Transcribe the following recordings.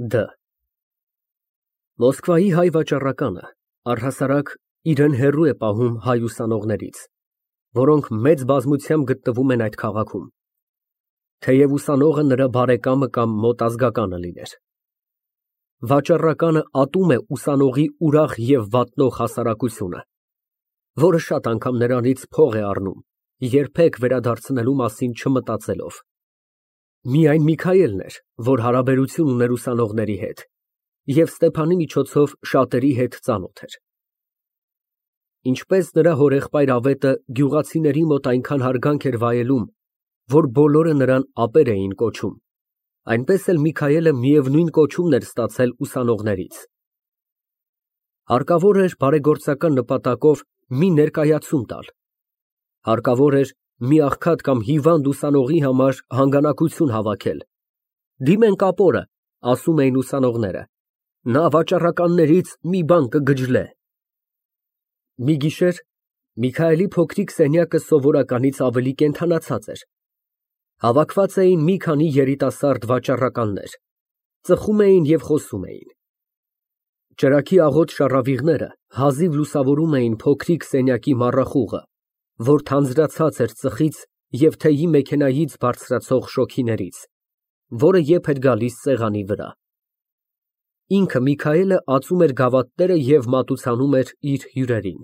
Դ Մոսկվայի հայ վաճառականը առհասարակ իրեն հեռու է պահում հայ ուսանողներից, որոնք մեծ բազմությամբ գտնվում են այդ քաղաքում, թեև ուսանողը նրա բարեկամը կամ մոտ ազգականը լիներ։ Վաճառականը ատում է ուսանողի ուրախ և վատնող հասարակությունը, որը շատ անգամ նրանից փող է առնում, երբեք վերադարձնելու մասին չմտածելով։ Միայն Միքայելն էր, որ հարաբերություն ուներ ուսանողների հետ և Ստեփանի միջոցով շատերի հետ ծանոթ էր։ Ինչպես նրա հորեղբայր Ավետը գյուղացիների մոտ այնքան հարգանք էր վայելում, որ բոլորը նրան ապեր էին կոչում, այնպես էլ Միքայելը միևնույն կոչումն էր ստացել ուսանողներից։ Հարկավոր էր բարեգործական նպատակով մի ներկայացում տալ, հարկավոր էր մի աղքատ կամ հիվանդ ուսանողի համար հանգանակություն հավաքել։ Դիմենք ապորը, ասում էին ուսանողները, նա վաճառականներից մի բան կգջլե։ Մի գիշեր Միքայելի փոքրիկ սենյակը սովորականից ավելի կենդանացած էր։ Հավաքված էին մի քանի երիտասարդ վաճառականներ, ծխում էին և խոսում էին։ Ճրագի աղոտ շառավիղները հազիվ լուսավորում էին փոքրիկ սենյակի մառախուղը, որ թանձրացած էր ծխից և թեյի մեքենայից բարձրացող շոգիներից, որը եփ էր գալիս սեղանի վրա։ Ինքը Միքայելը ածում էր գավաթները և մատուցանում էր իր հյուրերին։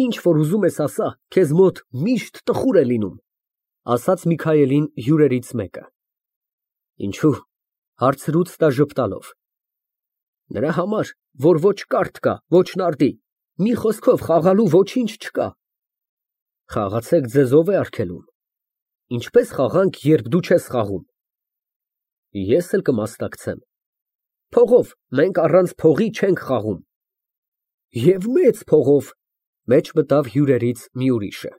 Ինչ որ ուզում ես ասա, քեզ մոտ միշտ տխուր է լինում, ասաց Միքայելին հյուրերից մեկը։ Ինչո՞ւ, հարցրուց նա ժպտալով։ Նրա համար, որ ոչ կարթ կա, ոչ նարդի, մի խոսքով խաղալու ոչինչ չկա։ Խաղացեք ձեզ ով է արգելում։ Ինչպես խաղանք, երբ դու չես խաղում։ Ես էլ կմասնակցեմ։ Փողով, մենք առանց փողի չենք խաղում։ Եվ մեծ փողով, մեջ մտավ հյուրերից մի ուրիշը։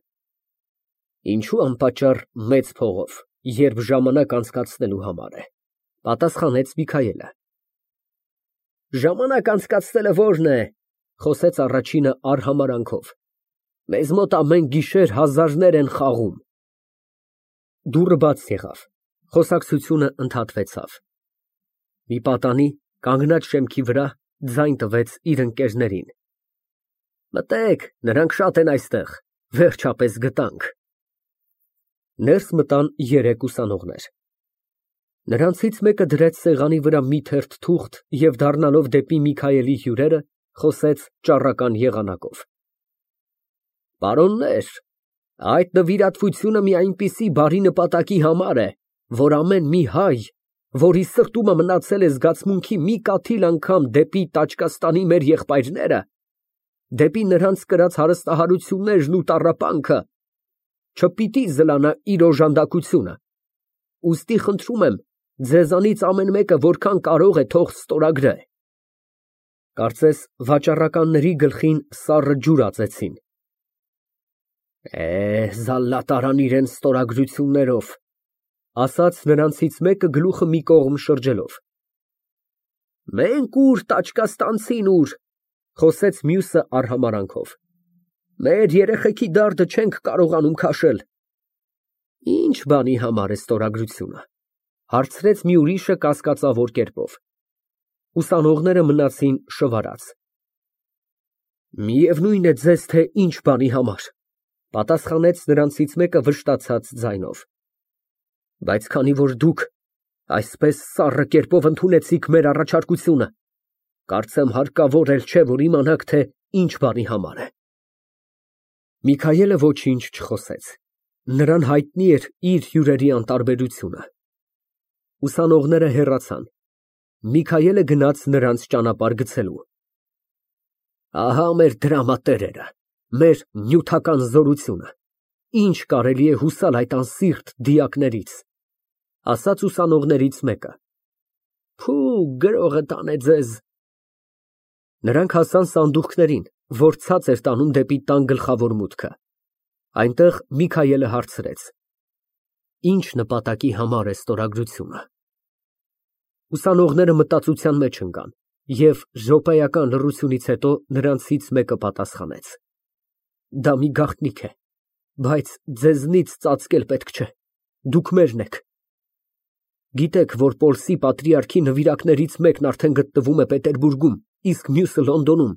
Ինչու անպատճառ մեծ փողով, երբ ժամանակ անցկացնելու համար է, պատասխանեց Միքայելը։ Ժամանակ անցկացնելը որն է, խոսեց առաջինը արհամարհանքով։ Մեզ մոտ ամեն գիշեր հազարներ են խաղում։ Դուռը բաց եղավ, խոսակցությունը ընդհատվեցավ։ Մի պատանի, կանգնած շեմքի վրա, ձայն տվեց իր ընկերներին։ Մտեք, նրանք շատ են այստեղ, վերջապես գտանք։ Ներս մտան երեք ուսանողներ։ Նրանցից մեկը դրեց սեղանի վրա մի թերթ թուղթ և դառնալով դեպի Միքայելի հյուրերը, խոսեց ճառական եղանակով։ Պարոններ, այդ նվիրատվությունը մի այնպիսի բարի նպատակի համար է, որ ամեն մի հայ, որի սրտումը մնացել է զգացմունքի մի կաթիլ անգամ դեպի Տաճկաստանի մեր եղբայրները, դեպի նրանց կրած հարստահարություններն ու տառապանքը, չպիտի զլանա իր օժանդակությունը։ Ուստի խնդրում եմ, ձեզանից ամեն մեկը որքան կարող է թող ստորագրե։ Կարծես վաճառականների գլխին սառը ջուր ածեցին։ Զալլատ արան իրենց ստորագրություններով, ասաց նրանցից մեկը գլուխը մի կողմ շրջելով։ Մենք ուր, տաճկաստանցին ուր, խոսեց մյուսը արհամարհանքով։ Մեր երեխեքի դարդը չենք կարողանում քաշել։ Ինչ բանի համար է ստորագրությունը, հարցրեց մի ուրիշը կասկածավոր կերպով։ Ուսանողները մնացին շվարած։ Միևնույն է ձեզ, թե ինչ բանի համար, պատասխանեց նրանցից մեկը վշտացած ձայնով։ Բայց քանի որ դուք այսպես սառը կերպով ընդունեցիք մեր առաջարկությունը, կարծեմ հարկավոր էլ չէ, որ իմանաք, թե ինչ բանի համար է։ Միքայելը ոչինչ չխոսեց։ Նրան հայտնի էր իր հյուրերի անտարբերությունը։ Ուսանողները հեռացան։ Միքայելը գնաց նրանց ճանապարհ գցելու։ Ահա մեր դրամատերերը, մեր նյութական զորությունը, ինչ կարելի է հուսալ այդ անսիրտ դիակներից, ասաց ուսանողներից մեկը։ Փու, գրողը տանե ձեզ։ Նրանք հասան սանդուղքներին, որ ցած էր տանում դեպի տան գլխավոր մուտքը։ Այնտեղ Միքայելը հարցրեց. Ինչ նպատակի համար է ստորագրությունը։ Ուսանողները մտածության մեջ ընկան, և րոպեական լռությունից հետո նրանցից մեկը պատասխանեց. Դա մի գաղտնիք է, բայց ձեզնից ծածկել պետք չէ, դուք մերն եք։ Գիտեք, որ Պոլսի պատրիարքի նվիրակներից մեկն արդեն գտնվում է Պետերբուրգում, իսկ մյուսը Լոնդոնում։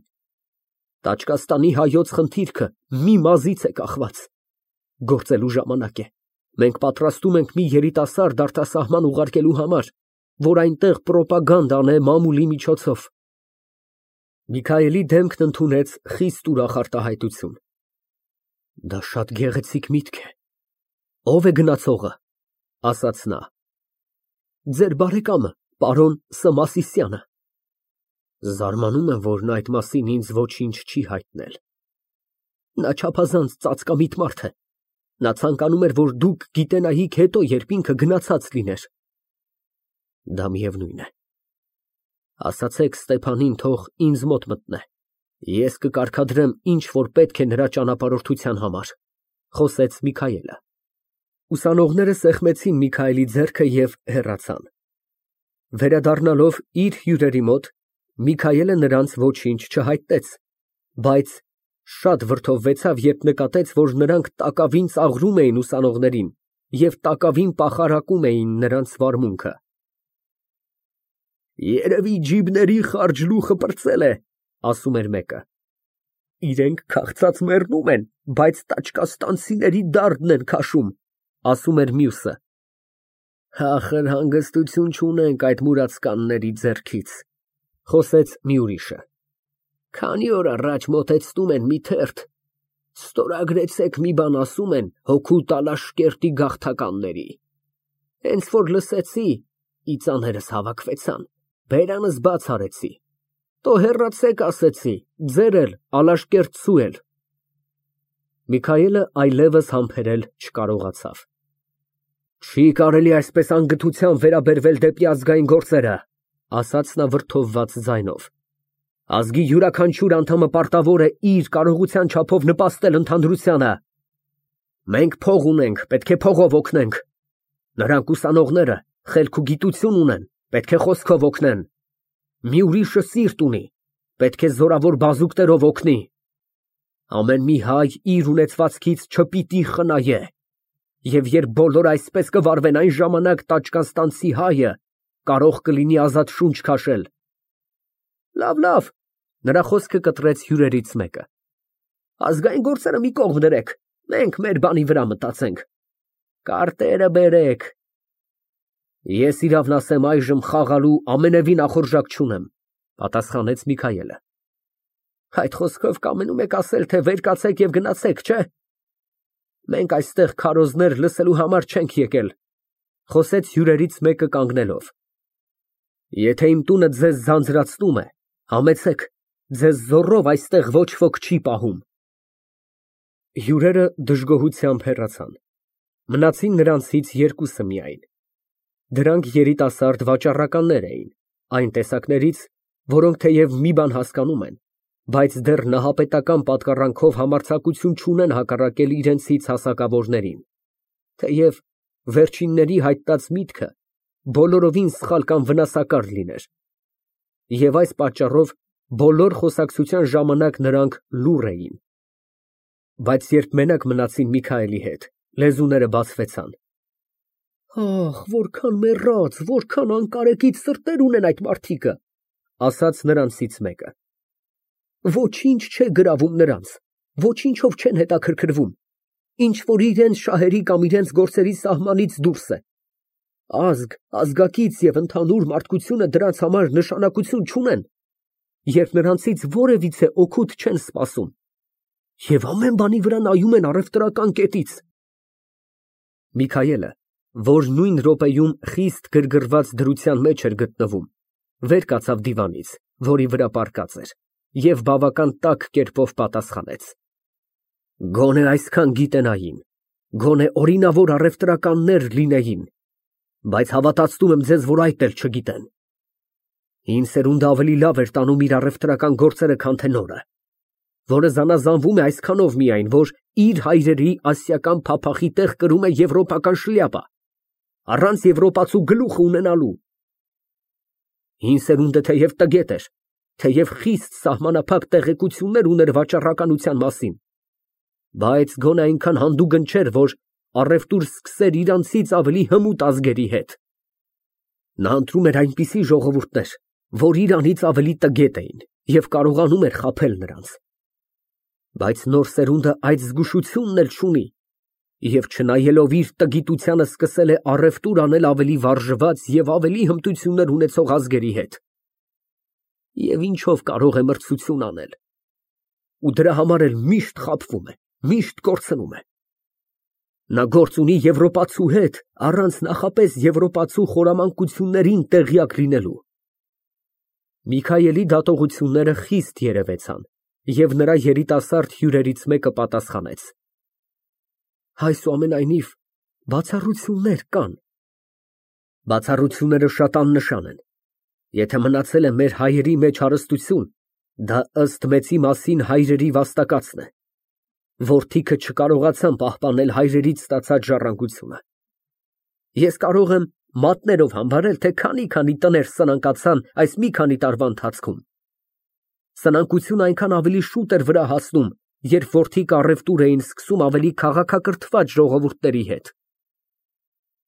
Տաճկաստանի հայոց խնդիրքը մի մազից է կախված։ Գործելու ժամանակ է։ Մենք պատրաստում ենք մի երիտասարդ արտասահման ուղարկելու համար, որ այնտեղ պրոպագանդա անե մամուլի միջոցով։ Միքայելի դեմքն ընդունեց խիստ ուրախ արտահայտություն։ Դա շատ գեղեցիկ միտք է։ Ո՞վ է գնացողը, ասաց նա։ Ձեր բարեկամը, պարոն Սմասիսյանը։ Զարմանում եմ, որ նա այդ մասին ինձ ոչինչ չի հայտնել։ Նա չափազանց ծածկամիտ մարդ է։ Նա ցանկանում էր, որ դուք գիտենայիք հետո, երբ ինքը գնացած լիներ։ Դա միևնույն է։ Ասացեք Ստեփանին, թող ինձ մոտ մտնե։ Ես կկարգադրեմ, ինչ որ պետք է նրա ճանապարհորդության համար, խոսեց Միքայելը։ Ուսանողները սեղմեցին Միքայելի ձեռքը և հեռացան։ Վերադառնալով իր հյուրերի մոտ, Միքայելը նրանց ոչինչ չհայտեց, բայց շատ վրդովվեցավ, երբ նկատեց, որ նրանք տակավին ծաղրում էին ուսանողներին և տակավին պախարակում էին նրանց վարմունքը։ Երևի ջիբների խարճլուխը պրծել է, ասում էր մեկը։ Իրենք քաղցած մեռնում են, բայց տաճկաստանցիների դարդն են քաշում, ասում էր մյուսը։ Ախր հանգստություն չունենք այդ մուրացկանների ձեռքից, խոսեց մի ուրիշը։ Քանի օր առաջ մոտեցնում են մի թերթ, ստորագրեցեք մի բան ասում են հոգու Տալաշկերտի գաղթականների։ Հենց որ լսեցի, իծաներս հավաքվեցան, բերանս բաց արեցի։ Տո հեռացեք ասեցի, ձեր էլ, Ալաշկերտցու էլ։ Միքայելը այլևս համբերել չկարողացավ։ Չի կարելի այսպես անգթությամբ վերաբերվել դեպի ազգային գործերը, ասաց նա վրդովված ձայնով։ Ազգի յուրաքանչյուր անդամը պարտավոր է իր կարողության չափով նպաստել ընդհանրությանը։ Մենք փող ունենք, պետք է փողով օգնենք։ Նրանք ուսանողները խելք ու գիտություն ունեն, պետք է խոսքով օգնեն։ Մի ուրիշը սիրտ ունի, պետք է զորավոր բազուկներով օգնի։ Ամեն մի հայ իր ունեցվածքից չպիտի խնայե։ Եվ երբ բոլորը այսպես կվարվեն, այն ժամանակ տաճկաստանցի հայը կարող կլինի ազատ շունչ քաշել։ Լավ, նրա խոսքը կտրեց հյուրերից մեկը։ Ազգային գործերը մի կողմ դրեք, մենք մեր բանի վրա մտածենք։ Կարտերը բերեք։ Ես իրավն ասեմ, այժմ խաղալու ամենևին ախորժակ չունեմ, պատասխանեց Միքայելը։ Այդ խոսքով կամենում եք ասել, թե վեր կացեք և գնացեք, չէ։ Մենք այստեղ քարոզներ լսելու համար չենք եկել, խոսեց հյուրերից մեկը կանգնելով։ Եթե իմ տունը ձեզ ձանձրացնում է, համեցեք, ձեզ զոռով այստեղ ոչ ոք չի պահում։ Հյուրերը դժգոհությամբ հեռացան։ Մնացին նրանցից երկուսը միայն։ Դրանք երիտասարդ վաճառականներ էին, այն տեսակներից, որոնք թեև մի բան հասկանում են, բայց դեռ նահապետական պատկառանքով համարձակություն չունեն հակառակել իրենցից հասակավորներին, թեև վերջինների հայտնած միտքը բոլորովին սխալ կամ վնասակար լիներ։ Եվ այս պատճառով բոլոր խոսակցության ժամանակ նրանք լուռ էին։ Բայց երբ մենակ մնացին Միքայելի հետ, լեզուները բացվեցան։ Ախ, որքան մեռած, որքան անկարեկից սրտեր ունեն այդ մարդիկը, ասաց նրանցից մեկը։ Ոչինչ չէ գրավում նրանց, ոչինչով չեն հետաքրքրվում, ինչ որ իրենց շահերի կամ իրենց գործերի սահմանից դուրս է։ Ազգ, ազգակից և ընդհանուր մարդկությունը դրանց համար նշանակություն չունեն, երբ նրանցից որևիցե օգուտ չեն սպասում, և ամեն բանի վրա նայում են առևտրական կետից։ Միքայելը, որ նույն րոպեում խիստ գրգռված դրության մեջ էր գտնվում, վեր կացավ դիվանից, որի վրա պառկած էր, և բավական տաք կերպով պատասխանեց. Գոնե այսքան գիտենային, գոնե օրինավոր առևտրականներ լինեին, բայց հավատացնում եմ ձեզ, որ այդ էլ չգիտեն։ Հին սերունդը ավելի լավ էր տանում իր առևտրական գործերը, քան թե նորը, որը զանազանվում է այսքանով միայն, որ իր հայրերի ասիական փափախի տեղ կրում է եվրոպական շլյապա, առանց եվրոպացու գլուխը ունենալու։ Հին սերունդը թեև տգետ էր, թեև խիստ սահմանափակ տեղեկություններ ուներ վաճառականության մասին, բայց գոնե այնքան հանդուգն չէր, որ առևտուր սկսեր իրանցից ավելի հմուտ ազգերի հետ։ Նա ընտրում էր այնպիսի ժողովուրդներ, որ իրանից ավելի տգետ էին և կարողանում էր խաբել նրանց։ Բայց նոր սերունդը այդ զգուշությունն էլ չունի և չնայելով իր տգիտությանը սկսել է առևտուր անել ավելի վարժված և ավելի հմտություններ ունեցող ազգերի հետ։ Եվ ինչով կարող է մրցություն անել։ Ու դրա համար էլ միշտ խաբվում է, միշտ կորցնում է։ Նա գործ ունի եվրոպացու հետ, առանց նախապես եվրոպացու խորամանկություններին տեղյակ լինելու։ Միքայելի դատողությունները խիստ երևեցան, և նրա երիտասարդ հյուրերից մեկը պատասխանեց. Այսուամենայնիվ, բացառություններ կան։ Բացառությունները շատ աննշան են։ Եթե մնացել է մեր հայերի մեջ հարստություն, դա ըստ մեծի մասին հայրերի վաստակածն է։ Որդիքը չկարողացան պահպանել հայրերից ստացած ժառանգությունը։ Ես կարող եմ մատներով համբարել, թե քանի տներ սնանկացան այս մի քանի տարվա ընթացքում։ Սնանկությունը այնքան ավելի շուտ էր վրա հասնում, երբ որդիք առևտուր էին սկսում ավելի քաղաքակրթված ժողովուրդների հետ։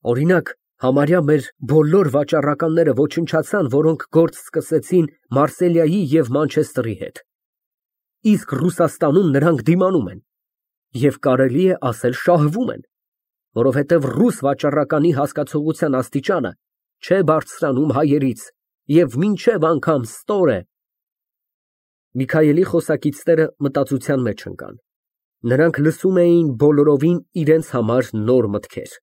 Օրինակ, համարյա մեր բոլոր վաճառականները ոչնչացան, որոնք գործ սկսեցին Մարսելիայի և Մանչեսթերի հետ։ Իսկ Ռուսաստանում նրանք դիմանում են և կարելի է ասել շահվում են, որովհետև ռուս վաճառականի հասկացողության աստիճանը չէ բարձրանում հայերից և մինչև անգամ ստոր է։ Միքայելի խոսակիցները մտածության մեջ ընկան։ Նրանք լսում էին բոլորովին իրենց համար նոր մտքեր։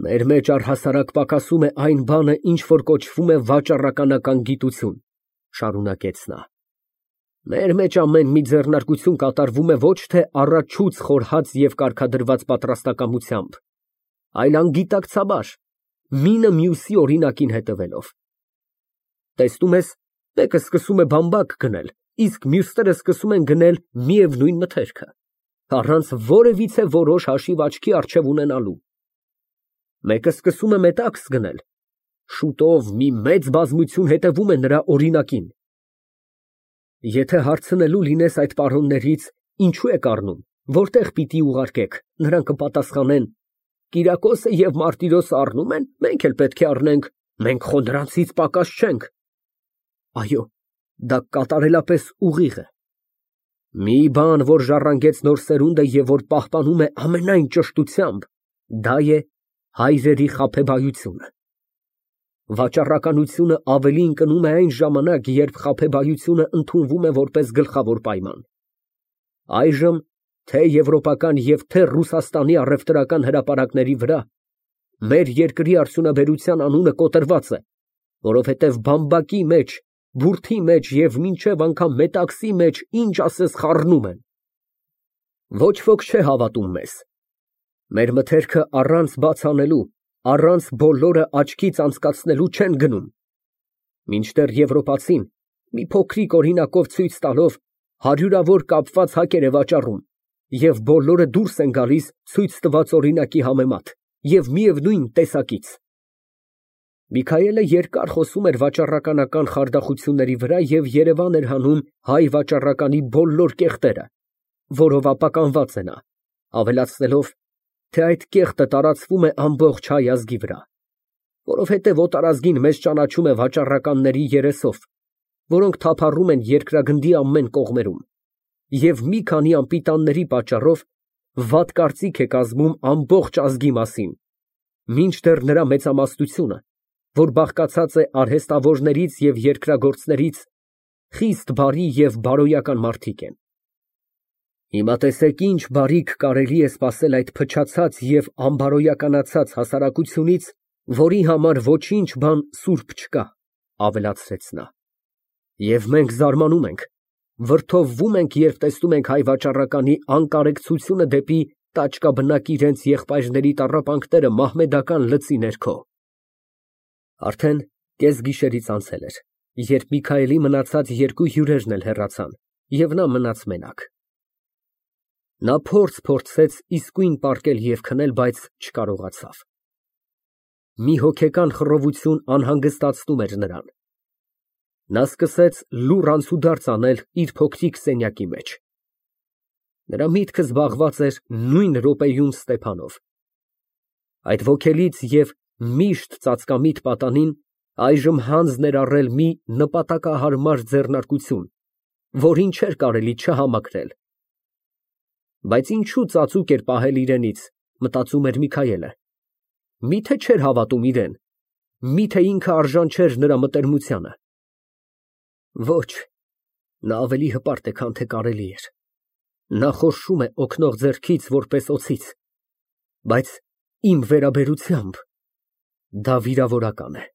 Մեր մեջ առհասարակ պակասում է այն բանը, ինչ որ կոչվում է վաճառականական գիտություն, շարունակեց նա։ Մեր մեջ ամեն մի ձեռնարկություն կատարվում է ոչ թե առաջուց խորհած և կարգադրված պատրաստակամությամբ, այլ անգիտակցաբար, մինը մյուսի օրինակին հետևելով։ Տեսնում ես, մեկը սկսում է բամբակ գնել, իսկ մյուսները սկսում են գնել միևնույն մթերքը, առանց որևիցե որոշ հաշիվ աչքի առջև ունենալու։ Մեկը սկսում է մետաքս գնել, շուտով մի մեծ բազմություն հետևում է նրա օրինակին։ Եթե հարցնելու լինես այդ պարոններից, ինչու եք առնում, որտեղ պիտի ուղարկեք, նրանք կպատասխանեն. Կիրակոսը և Մարտիրոսը առնում են, մենք էլ պետք է առնենք, մենք խո նրանցից պակաս չենք։ Այո, դա կատարելապես ուղիղ է։ Մի բան, որ ժառանգեց նոր սերունդը և որ պահպանում է ամենայն ճշտությամբ, դա է հայրերի խաբեբայությունը։ Վաճառականությունը ավելի ընկնում է այն ժամանակ, երբ խաբեբայությունը ընդունվում է որպես գլխավոր պայման։ Այժմ թե եվրոպական և թե Ռուսաստանի առևտրական հրապարակների վրա մեր երկրի արդյունաբերության անունը կոտրված է, որովհետև բամբակի մեջ, բուրդի մեջ և մինչև անգամ մետաքսի մեջ ինչ ասես խառնում են։ Ոչ ոք չէ հավատում մեզ։ Մեր մթերքը առանց բաց անելու, առանց բոլորը աչքից անցկացնելու չեն գնում։ Մինչդեռ եվրոպացին, մի փոքրիկ օրինակով ցույց տալով, հարյուրավոր կապված հակեր է վաճառում, և բոլորը դուրս են գալիս ցույց տված օրինակի համեմատ և միևնույն տեսակից։ Միքայելը երկար խոսում էր վաճառականական խարդախությունների վրա և երևան էր հանում հայ վաճառականի բոլոր կեղտերը, որով ապականված է նա, ավելացնելով, թե այդ կեղտը տարածվում է ամբողջ հայ ազգի վրա, որովհետև օտարազգին մեզ ճանաչում է վաճառականների երեսով, որոնք թափառում են երկրագնդի ամեն կողմերում, և մի քանի անպիտանների պատճառով վատ կարծիք է կազմում ամբողջ ազգի մասին, մինչդեռ նրա մեծամասնությունը, որ բաղկացած է արհեստավորներից և երկրագործներից, խիստ բարի և բարոյական մարդիկ են։ Հիմա տեսեք ինչ բարիք կարելի է սպասել այդ փչացած և անբարոյականացած հասարակությունից, որի համար ոչինչ բան սուրբ չկա, ավելացրեց նա։ Եվ մենք զարմանում ենք, վրդովվում ենք, երբ տեսնում ենք հայ վաճառականի անկարեկցությունը դեպի տաճկաբնակ իրենց եղբայրների տառապանքները մահմեդական լծի ներքո։ Արդեն կեսգիշերից անցել էր, երբ Միքայելի մնացած երկու հյուրերն էլ հեռացան, և նա մնաց մենակ։ Նա փորձեց իսկույն պառկել և քնել, բայց չկարողացավ։ Մի հոգեկան խռովություն անհանգստացնում էր նրան։ Նա սկսեց լուռ անցուդարձ անել իր փոքրիկ սենյակի մեջ։ Նրա միտքը զբաղված էր նույն րոպեում Ստեփանով։ Այդ ոգելից և միշտ ծածկամիտ պատանին, այժմ հանձն էր առել մի նպատակահարմար ձեռնարկություն, որին չէր կարելի չհամակրել։ Բայց ինչու ծածուկ էր պահել իրենից, մտածում էր Միքայելը։ Միթե չէր հավատում իրան, միթե ինքը արժան չէր նրա մտերմությանը։ Ոչ, նա ավելի հպարտ է, քան թե կարելի էր։ Նա խորշում է օգնող ձեռքից, որպես օձից, բայց իմ վերաբերությամբ դա վիրավորական է։